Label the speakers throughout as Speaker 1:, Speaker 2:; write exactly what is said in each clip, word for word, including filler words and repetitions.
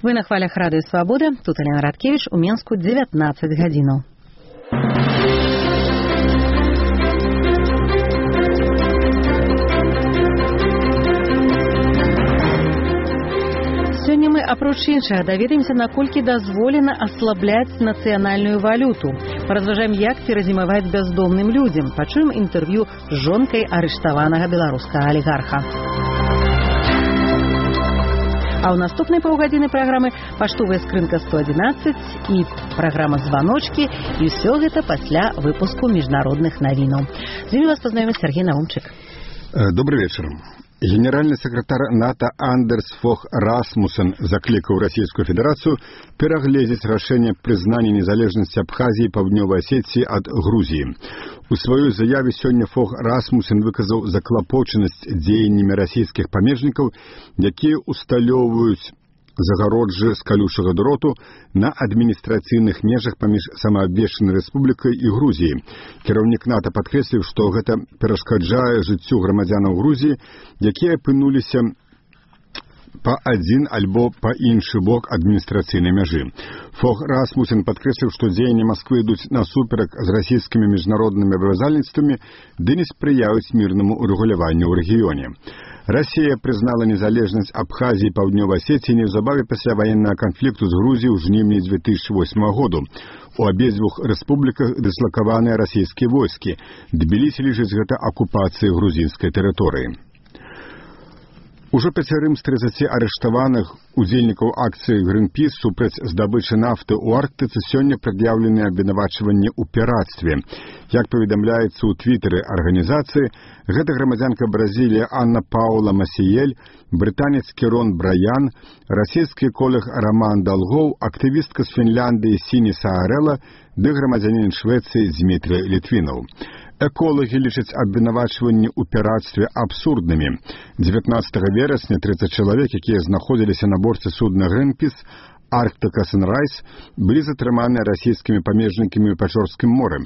Speaker 1: Вы на хвалях Радыё Свабода. Тут Алена Радкевич, у Менску дзевятнаццаць гадзінаў. Сёння мы, апроч іншага, даведаемся, наколькі дазволена аслабляць нацыянальную валюту. Паразважаем, як перазімаваць бяздомным людзям. Пачуем інтэрв'ю з жонкай арыштаванага беларускага алігарха. А ў наступнай паўгадзіны праграмы паштовая скрынка сто адзінаццаць і праграма «Званочкі». І ўсё гэта пасля выпуску міжнародных навінаў. З імі вас пазнаёміць Сергей Наумчык.
Speaker 2: Добрый вечер. Генеральный секретарь НАТО Андерс Фог Расмуссен закликал Российскую Федерацию переглядеть решение признания незалежности Абхазии и Паўднёвай Осетии от Грузии. У своей заяве сегодня Фог Расмуссен выказал заклопоченность деяниями российских памежников, якія усталёўваюць загароджы з калючага дроту на адміністрацыйных межах паміж самаабвешчанай рэспублікай і Грузіяй. Кіраўнік НАТО падкрэсліў, што гэта перашкаджае жыццю грамадзянаў Грузіі, якія апынуліся па адзін альбо па іншы бок адміністрацыйнай мяжы. Фог Расмуссен падкрэсліў, што дзеянні Масквы ідуць насуперак з расійскімі міжнароднымі абавязальніцтвамі ды не спрыяюць мірнаму урэгуляванню ў рэгіёне. Россия признала незалежность Абхазии и Паўднёвай Осетии неўзабаве пасля военного конфликту с Грузией ў жніўні две тысячи восьмого года. У абедзвюх рэспубліках дыслакаваныя расійскія войскі. Тбілісі лічыць гэта акупацыяй грузінскай тэрыторыі. Ужо пяцярым з трыццаці арыштаваных удзельнікаў акцыі Greenpeace супраць здабычы нафты ў Арктыцы сёння прад'яўленыя абвінавачванні ў пірацтве. Як паведамляецца ў твітары арганізацыі, гэта грамадзянка Бразіліі Анна Паула Масіель, брытанец Керон Браян, расійскі эколог Роман Долгоў, актывістка з Фінляндыі Сіні Саарэла ды грамадзянін Швецыі Дзмітрый Літвінаў. Эколагі лічаць абвінавачванні ў пірацтве абсурднымі. дзевятнаццатага верасня трыццаць чалавек, якія знаходзіліся на борце судна Greenpeace Arctica Sunrise, былі затрыманыя расійскімі памежнікамі ў Пячорскім моры.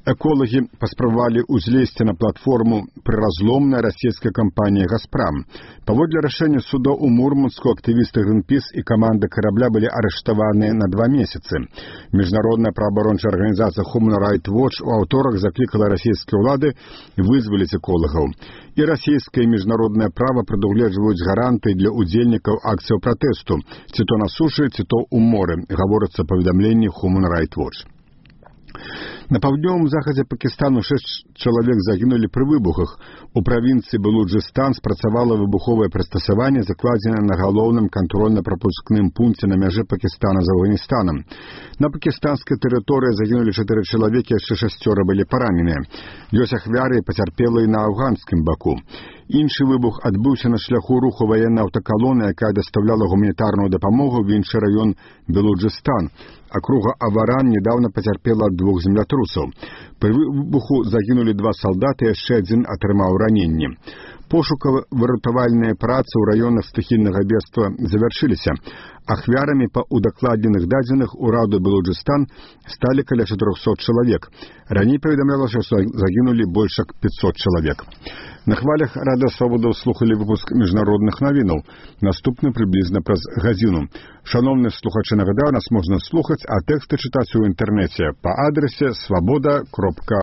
Speaker 2: Эколагі паспрабавалі ўзлезці на платформу прыразломная расійская кампанія «Газпрам». Паводле рашэння суда ў Мурманску актывісты Greenpeace і каманда карабля былі арыштаваныя на два месяцы. Міжнародная праабарончая арганізацыя Human Rights Watch у аўторак заклікала расійскія ўлады вызваліць эколагаў. І расійскае і міжнароднае права прадугледжваюць гарантыі для удзельнікаў акцыяў пратэсту, ці то на сушы, ці то ў моры, гаворыцца паведамленні Human Rights Watch. На паўднёвым захадзе Пакістану шэсць чалавек загінулі пры выбухах. У правінцыі Балуджыстан спрацавала выбуховае прыстасаванне, закладзенае на галоўным кантрольна-прапускным пункце на мяжы Пакістана з Афганістанам. На пакістанскай тэрыторыі загінулі чатыры чалавекі, яшчэ шасцёра былі параненыя. Ёсць ахвяры і пацярпелыя на афганскім баку. Іншы выбух адбыўся на шляху руху ваеннай аўтакалоны, якая дастаўляла гуманітарную дапамогу ў іншы раён Балуджыстан. Акруга Аваран недавно пацярпела ад двух землятрусаў. Пры выбуху загінулі два салдаты, яшчэ адзін атрымаў раненні. Пошукава-выратавальныя працы ў раёнах стыхійнага бедства завяршыліся. Ахвярамі па удакладненых дадзеных ураду Балуджыстан сталі каля чатырохсот чалавек. Раней паведамлялася, што загінулі больш як пятьсот чалавек. На хвалях Радыё Свабода слухалі выпуск міжнародных навінаў. Наступны прыблізна праз гадзіну. Шановныя слухачы, нагадаю, нас можна слухаць, а тэксты чытаць у інтэрнэце па адрасе свабода кропка